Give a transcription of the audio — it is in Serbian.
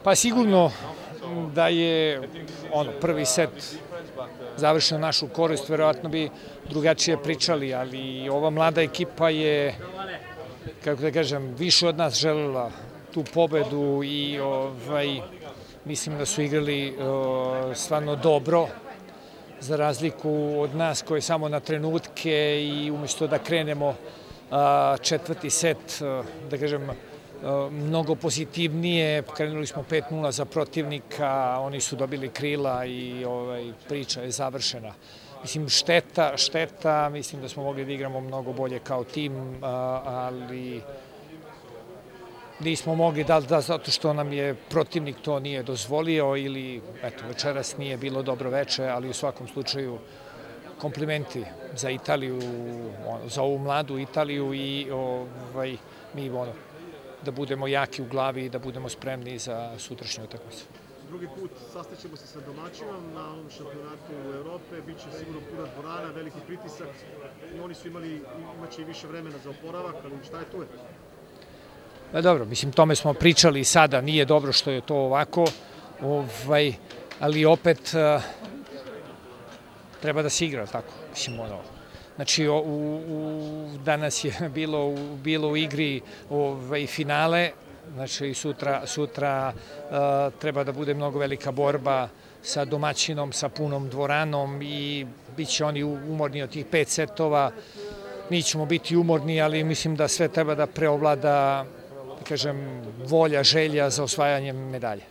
Pa sigurno da je prvi set završen u našu korist, verovatno bi drugačije pričali, ali ova mlada ekipa je, kako da kažem, više od nas želela tu pobedu i mislim da su igrali stvarno dobro, za razliku od nas koji samo na trenutke i umjesto da krenemo četvrti set, da kažem, mnogo pozitivnije, krenuli smo 5:0 za protivnika, oni su dobili krila i priča je završena. Mislim, šteta, mislim da smo mogli da igramo mnogo bolje kao tim, ali nismo mogli, da zato što nam je protivnik to nije dozvolio ili, eto, večeras nije bilo dobro veče, ali u svakom slučaju komplimenti za Italiju, za ovu mladu Italiju i mi da budemo jaki u glavi i da budemo spremni za sutrašnju utakmicu. Drugi put sastaćemo se sa domaćinom na ovom šampionatu Evrope, bit će sigurno puna dvorana, veliki pritisak i oni su imaće i više vremena za oporavak, ali šta je tu? Pa dobro, mislim, tome smo pričali i sada, nije dobro što je to ovako, ali opet treba da se igra, tako, mislim, Znači, danas je bilo u igri finale, znači sutra treba da bude mnogo velika borba sa domaćinom, sa punom dvoranom i bit će oni umorni od tih 5 setova. Mi ćemo biti umorni, ali mislim da sve treba da preovlada, da kažem, volja, želja za osvajanjem medalje.